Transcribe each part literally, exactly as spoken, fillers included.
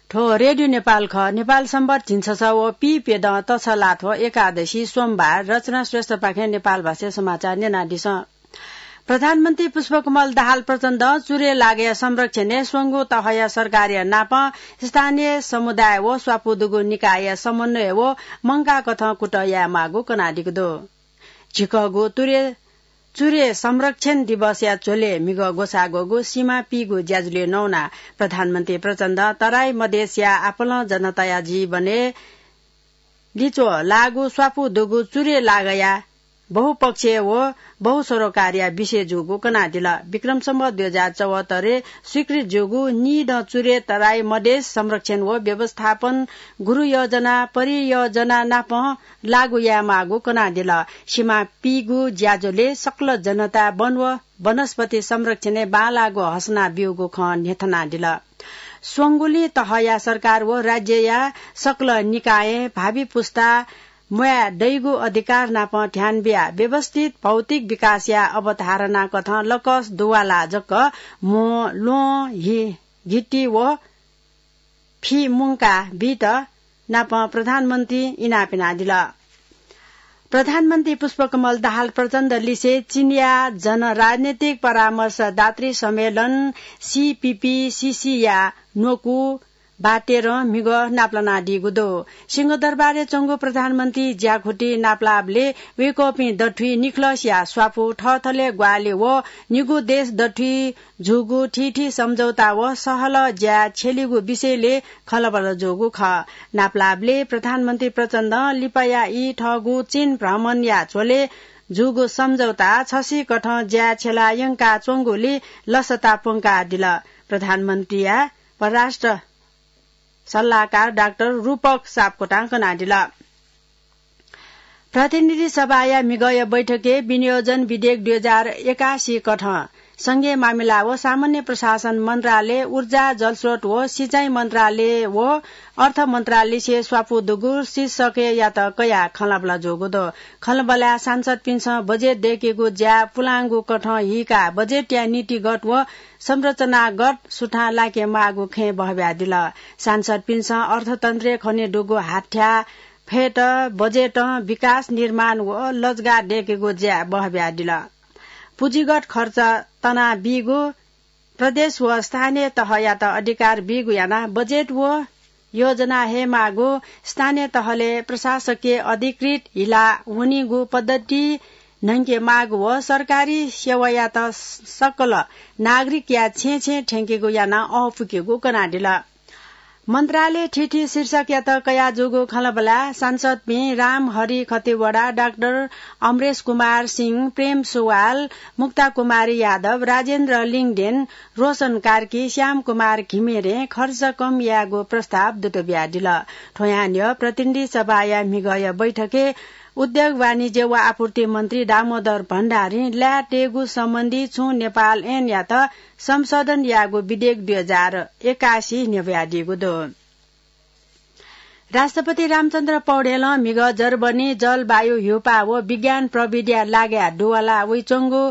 थ्व रेडियो नेपाल खः। नेपाल सम्बत झिंछसः व पीप्यदँ तछलाथ्व एकादशी सोमबार। रचना श्रेष्ठपाखें नेपाल भाषाय् समाचार न्यनादिसँ। प्रधानमन्त्री पुष्पकमल दाहाल प्रचण्डं चुरे लागया संरक्षणय् स्वंगू तहया सरकारया नाप स्थानीय समुदाय व स्वापू दुगु निकायया समन्वय व मंकाःकथं कुतः यायेमाःगु कनादीगु दु। झिकःगु तुरे, चुरे संरक्षण दिवसया झ्वलय् म्हिगः ग्वसाः ग्वःगु सिमा पीगु ज्याझ्वलय् नवानाः प्रधानमन्त्री प्रचण्डं तराई मधेसया आपालं जनताया जीवनय् लिच्वः लाःगु स्वापू दुगु चुरे लागया बहुपक्षीय व बहुसरोकारया विषय जूगु कनादिल। विक्रम सम्वत दुई हजार चौहत्तरय् स्वीकृत जूगु निदँ चुरे तराई मधेस संरक्षण व व्यवस्थापन गुरु योजना परियोजना नाप लागू यायेमाःगु कनादिल। सिमा पीगु ज्याझ्वलय् सकल जनता वन व वनस्पति संरक्षणय् बांलाःगु हसना ब्यूगु खँ न्ह्यथनादिल। स्वंगुलिं तहया सरकार व राज्यया सकल निकायं भावी पुस्ता म्वाये दइगु अधिकार नाप ध्यान बियाः व्यवस्थित भौतिक विकासया अवधारणाकथं लकस दुवालाः जक म्हो, ल्वहं, हि-, घिति व फि मुंका बीत नाप प्रधानमन्त्री इनाप यानादिल। प्रधानमन्त्री पुष्पकमल दाहाल प्रचण्ड लिसे चीनया जन राजनीतिक परामर्शदात्री सम्मेलन, सीपीपीसीसी या न्वकू बातेरं म्हिगः नापलानादीगु दु। सिंहदरबारय् च्वंगु प्रधानमन्त्री ज्याखुति नापलाःबलय् वय्कःपिं दथुइ निखलसया स्वापू थःथलय् ग्वाहालि व निगू देश दथुइ जूगु थीथी सम्झौता व सहलह ज्या छ्यलीगु विषयलय् खँल्हाबल्हा जूगु खः। नापलाःबलय् प्रधानमन्त्री प्रचण्डं लिपाया ई थःगु चीन भ्रमणया झ्वलय् जूगु सम्झौता छसिकथं ज्या छ्यला यंकाच्वंगुलिइ लसता प्वंकादिल। प्रधानमन्त्रीया परराष्ट्र सल्लाहकार डाक्टर रूपक सापकोटां कनादिल। प्रतिनिधि सभाया म्हिगःया बैठकय् विनियोजन विधेयक दुई हजार एकासी कथं संघीय मामिला व सामान्य प्रशासन मन्त्रालय, ऊर्जा, जलस्रोत व सिँचाइ मन्त्रालय व अर्थ मन्त्रालयलिसे स्वापू दुगु शीर्षकयात कयाः खँल्हाबल्हा जूगु दु। खँल्हाबल्हाय् सांसदपिन्सं बजेट दय्केगु ज्या पुलांगु कथं हीकाः बजेटया नीतिगत व संरचनागत सुथां लाकेमाःगु खँय् बहब्यादिल। सांसदपिन्सं अर्थतन्त्रय् खनेदुगु हाथ्या फय्त बजेटं विकास निर्माण व लजगाः दय्केगु ज्या बहब्यादिल। पुँजीगत खर्च तनाबीगु, प्रदेश व स्थानीय तहयात अधिकार बीगु यानाः बजेट व योजना हयेमाःगु, स्थानीय तहलय् प्रशासकीय अधिकृत हिला वनीगु पद्धति न्हंकेमाःगु व सरकारी सेवायात सकल नागरिकया छेँय् छेँय् थ्यंकेगु यानाः अःपुकेगु कनादिल। मन्त्रालय थीथी शीर्षकयात कयाजूगु खँल्हाबल्हाय् सांसदपिं रामहरि खतिवडा, डाक्टर अमरेश कुमार सिंह, प्रेम सुवाल, मुक्ता कुमारी यादव, राजेन्द्र लिङदेन, रोशन कार्की, श्याम कुमार घिमिरें खर्च कम यायेगु प्रस्ताव दुत बियादिल। थ्व न्ह्यः प्रतिनिधि सभाया म्हिगःया बैठकय् उद्योग, वाणिज्य व आपूर्ति मन्त्री दामोदर भण्डारीं ल्याः तयेगु सम्बन्धी छुं नेपाल ऐनयात संशोधन याःगु विधेयक दुई हजार एकासी न्ह्यब्वयादीगु दु। राष्ट्रपति रामचन्द्र पौडेलं म्हिगः जर्मनी जलवायु ह्यूपाः व विज्ञान प्रविधिया लागाय् दुवाला वइच्वंगु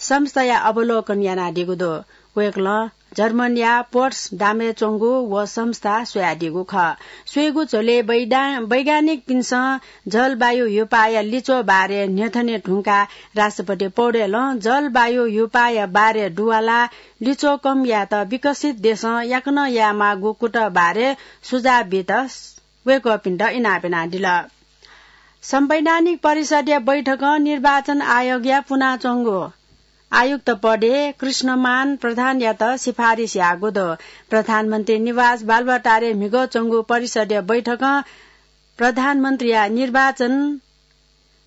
संस्थाया अवलोकन यानादीगु दु। वय्कलं जर्मनीया पोट्सडामय् च्वंगु व संस्था स्वयादीगु खः। स्वयेगु झ्वलय् वैदा-, वैज्ञानिकपिन्सं जलवायु ह्यूपाःया लिच्वः बारे न्ह्यथने धुंकाः राष्ट्रपति पौडेलं जलवायु ह्यूपाःया बारे दुवालाः लिच्वः कम यायेत विकसित देशं याकनं यायेमाःगु कुतः बारे सुझाव बीत वय्कःपिन्त इनाप यानादिल। संवैधानिक परिषदया बैठकं निर्वाचन आयोगया पुनाच्वंगु आयुक्त पदय् कृष्णमान प्रधानयात सिफारिस याःगु दु। प्रधानमन्त्री निवास बालुवाटारय् म्हिगः च्वंगु परिषदया बैठकं प्रधानमन्त्रीया निर्वाचन,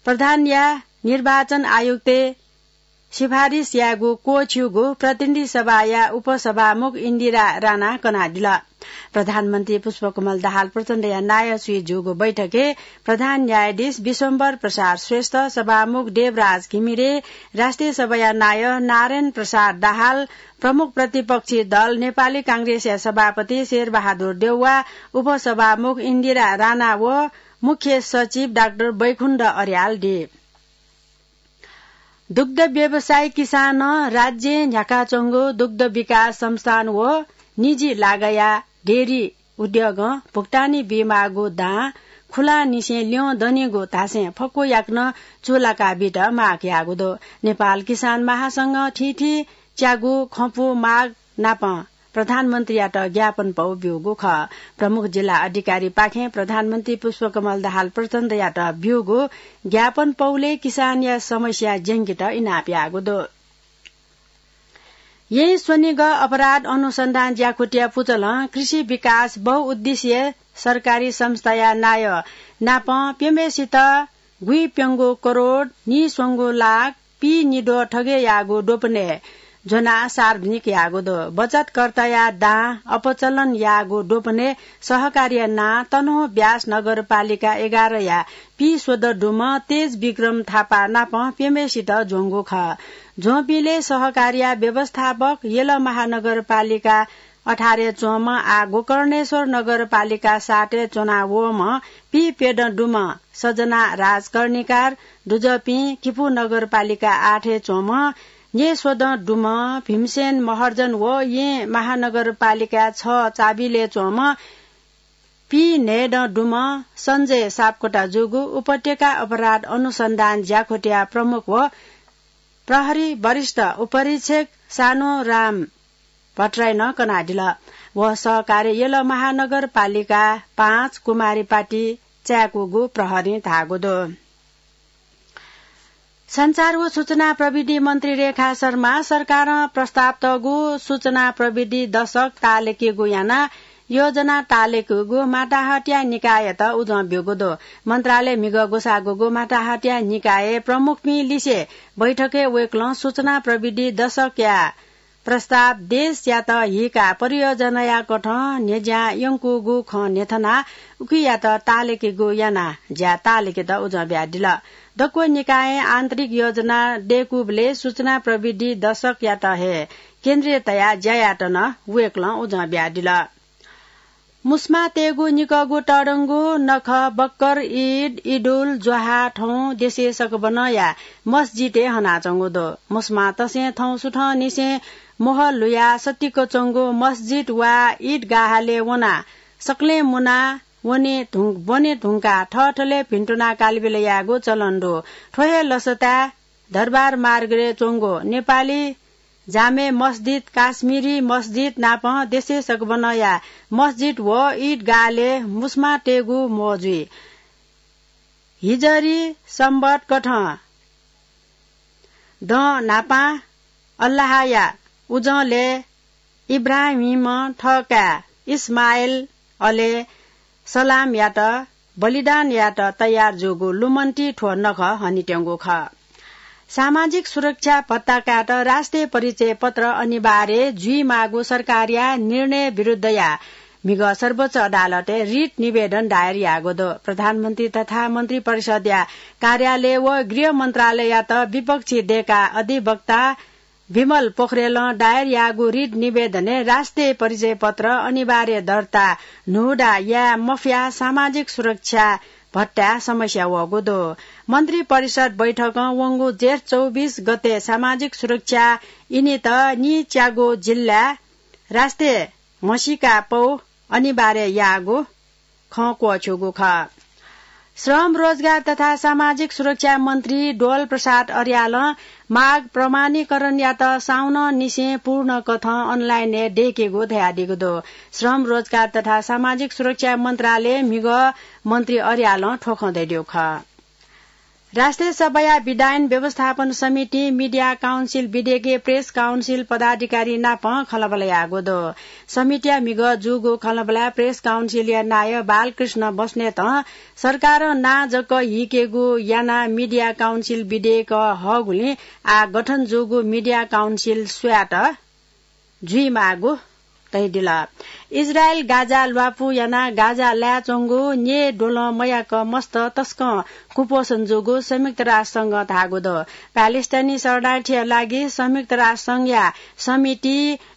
प्रधानया निर्वाचन आयुक्तय् सिफारिस यायेगु क्वःछिउगु प्रतिनिधि सभाया उपसभामुख इन्दिरा राणां कनादिल। प्रधानमन्त्री पुष्पकमल दाहाल प्रचण्डया नायः स्वयाः जूगु बैठकय् प्रधान न्यायाधीश विश्वम्भर प्रसाद श्रेष्ठ, सभामुख देवराज घिमिरे, राष्ट्रिय सभाया नायः नारायण प्रसाद दाहाल, प्रमुख प्रतिपक्षी दल नेपाली कांग्रेसया सभापति शेरबहादुर देउवा, उपसभामुख इन्दिरा राणा व मुख्य सचिव डाक्टर बैकुण्ठ अर्याल दि। दुग्ध व्यवसायी किसानं राज्यय् न्ह्याकाच्वंगु दुग्ध विकास संस्थान व निजी लागाया डेयरी उद्योगं भुक्तानी बीमाःगु दां खुलांनिसें ल्यं दनिगु धासें फक्व याकनं चूलाका बीत माग याःगु दु। नेपाल किसान महासंघं थीथी च्यागू खँपु माग नापं प्रधानमन्त्रीयात ज्ञापन पौ ब्यूगु खः। प्रमुख जिल्ला अधिकारीपाखें प्रधानमन्त्री पुष्पकमल दाहाल प्रचण्डयात ब्यूगु ज्ञापन पौले किसानया समस्या ज्यंकेत इनाप याःगु दु। यें स्वनिगः अपराध अनुसन्धान ज्याखुटिया पुचलं कृषि विकास बहुउद्देश्य सरकारी संस्थाया नायः नापं प्यम्हेसित गुइप्यंगू करोड निस्वंगू लाख पी निद्वः थगय् याःगु द्वपनय् ज्वनाः सार्वजनिक याःगु दु। बचतकर्ताया दां अपचलन याःगु द्वपनय् सहकारीया नां तनहुँ ब्यास नगरपालिका एघारया पी स्वदँ दुम्ह तेज विक्रम थापा नापं प्यम्हेसित ज्वंगु खः। ज्वंपिंलय् सहकारीया व्यवस्थापक यल महानगरपालिका अठारय् च्वंम्ह आः गोकर्णेश्वर नगरपालिका सातय् च्वनावःम्ह पी प्यदँ दुम्ह सजना राज कर्णिकार, दुजःपिं किपू नगरपालिका आठय् च्वंम्ह न्येस्वदँ दुम्ह भीमसेन महर्जन व यें महानगरपालिका छ चाबिलय् च्वंम्ह पी न्हय्दँ दुम्ह सञ्जय सापकोटा जूगु उपत्यका अपराध अनुसन्धान ज्याखुटिया प्रमुख व प्रहरी वरिष्ठ उपरीक्षक सानुराम भट्टराईं कनादिल। व सहकार्य यल महानगरपालिका पाँच कुमारीपाटी चाय्कूगु प्रहरीं धाःगु दु। सञ्चार व सूचना प्रविधि मन्त्री रेखा शर्मा सरकारं प्रस्ताव तःगु सूचना प्रविधि दशक तालेकेगु यानाः योजना तालेकेगु माताहतया निकाययात उजं ब्यूगु दु। मन्त्रालय म्हिगः ग्वसाःगुगु माताहतया निकाय प्रमुखपिं लिसे बैठकय् वय्कलं सूचना प्रविधि दशकया प्रस्ताव देशयात हीकाः परियोजनाया कथं न्ह्यज्यां यंकूगु खँ न्ह्यथनाः उकियात तालेकेगु यानाः ज्या तालेकेत उजं बियादिल। दक्व निकायं आन्तरिक योजना दय्कूबलय् सूचना प्रविधि दशकयात हे केन्द्रीय तयाः ज्या यायेत नं वय्कलं उजं बियादिल। मुस्मां तयेगु निकःगु तःधंगु नखः बक्कर, ईद, इदुल, ज्वाहा थौं देशय् सकबनंया मस्जिदय् हनाच्वंगु दु। मुस्मां तसें थौं सुथंनिसें मोहर लुयाः सतिक च्वंगु मस्जिद वा ईदगाहलय् वनाः सकलें मुनाः वने धुं-, ब्वने धुंकाः थःथलय् भिन्तुना कालबिल यायेगु चलन दु। थ्व हे लसताय् दरबार मार्गय् च्वंगु नेपाली जामे मस्जिद, काश्मीरी मस्जिद नापं देशय् सकबनंया मस्जिद व ईदगाहलय् मुस्मां तयेगु म्वः जुइ। हिजरी संवत कथं दँ न्हापां अल्लाहया उजंलय् इब्राहिमं थः काय् इस्माइल अले सलामयात बलिदान यायेत तयार जूगु लुमन्ति थ्व नखः हनेत्यंगु खः। सामाजिक सुरक्षा भत्ता कायेत राष्ट्रिय परिचय पत्र अनिवार्य जुइमाःगु सरकारया निर्णय विरुद्धया म्हिगः सर्वोच्च अदालतय् रिट निवेदन दायर याःगु दु। प्रधानमन्त्री तथा मन्त्री परिषदया कार्यालय व गृह मन्त्रालययात विपक्षी देय्काः अधिवक्ता विमल पोखरेलं दायर याःगु रिट निवेदनय् राष्ट्रिय परिचय पत्र अनिवार्य दर्ता न्हूदा याये मफयाः सामाजिक सुरक्षा भत्ताय् समस्या वःगु दु। मन्त्री परिषद बैठकं वंगु जेठ चौबिस गते सामाजिक सुरक्षा इनित निच्यागु जिल्लाय् राष्ट्रिय म्हसीका पौ अनिवार्य याःगु खँ क्वःछ्यूगु खः। श्रम, रोजगार तथा सामाजिक सुरक्षा मन्त्री डोल प्रसाद अर्यालं माग प्रमाणीकरणयात साउनंनिसें पूर्ण कथं अनलाइनय् दय्केगु धयादीगु दु। श्रम, रोजगार तथा सामाजिक सुरक्षा मन्त्रालय म्हिगः मन्त्री अर्यालं थ्व खँ धयादीगु खः। राष्ट्रिय सभाया विधायन व्यवस्थापन समितिं मिडिया काउन्सिल विधेयकय् प्रेस काउन्सिल पदाधिकारी नाप खँल्हाबल्हा याःगु दु। समितिया म्हिगः जूगु खँल्हाबल्हाय् प्रेस काउन्सिलया नायः बालकृष्ण बस्नेतं सरकारं नां जक हीकेगु यानाः मिडिया काउन्सिल विधेयक हःगुलिं आः गठन जूगु मिडिया काउन्सिल स्वयात जुइमाःगु धयादिल। इजरायल गाजा ल्वापु यानाः गाजा लाय् च्वंगु न्येद्वलं मयाक मस्त तसकं कुपोषण जूगु संयुक्त राष्ट्र संघं धाःगु दु। प्यालेस्टाइनी शरणार्थीया लागि संयुक्त राष्ट्र संघया समिति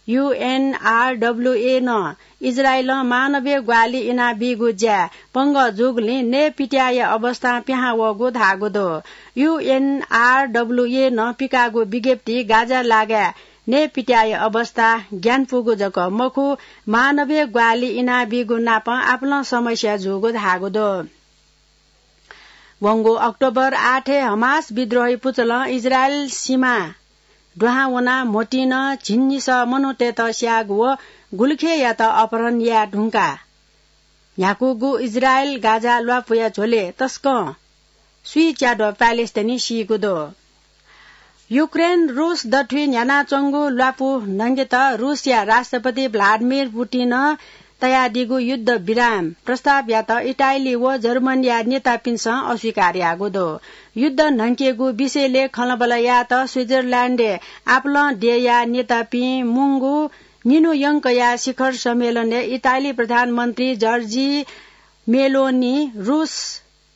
युएनआरडब्ल्यूए नं इजरायलं मानवीय ग्वाहालि इनाबीगु ज्याय् पंगः जूगुलिं नयेपित्याःया अवस्थां पिहां वःगु धाःगु दु। युएनआरडब्ल्यूए नं पिकाःगु विज्ञप्ति गाजा लागाय् नेपित्याया अवस्था ग्यानपुगु जक मखु, मानवीय ग्वाहालि इनाबीगु नापं आपालं समस्या जूगु धाःगु दु। वंगु अक्टोबर आठय् हमास विद्रोही पुचलं इजरायल सीमा दुहां वनाः म्होतिं नं झिंनिसः मनूतय्त स्याःगु व गुलिखेयात अपहरण याये धुंकाः न्ह्याकूगु इजरायल गाजा ल्वापुया झ्वलय् तसकं स्वीच्याद्वः प्यालेस्टाइनी सीगु दु। युक्रेन रुस दथुइ न्ह्यानाच्वंगु ल्वापु न्हंकेत रुसया राष्ट्रपति भ्लादिमिर पुतिनं तयादीगु युद्ध विराम प्रस्तावयात इटाली व जर्मनीया नेतापिन्सं अस्वीकार याःगु दु। युद्ध न्हंकेगु विषयलय् खँल्हाबल्हा यायेत स्विजरल्याण्डय् आपालं देय्या नेतापिं मुंगु निन्हु यंकया शिखर सम्मेलनय् इटाली प्रधानमन्त्री जर्जी मेलोनी रुस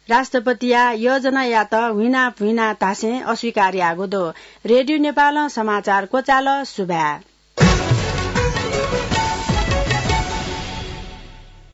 राष्ट्रपतिया योजनायात हुइना भुइना धासें अस्वीकार याःगु दु। रेडियो नेपालं समाचार क्वचाल। सुभाय्।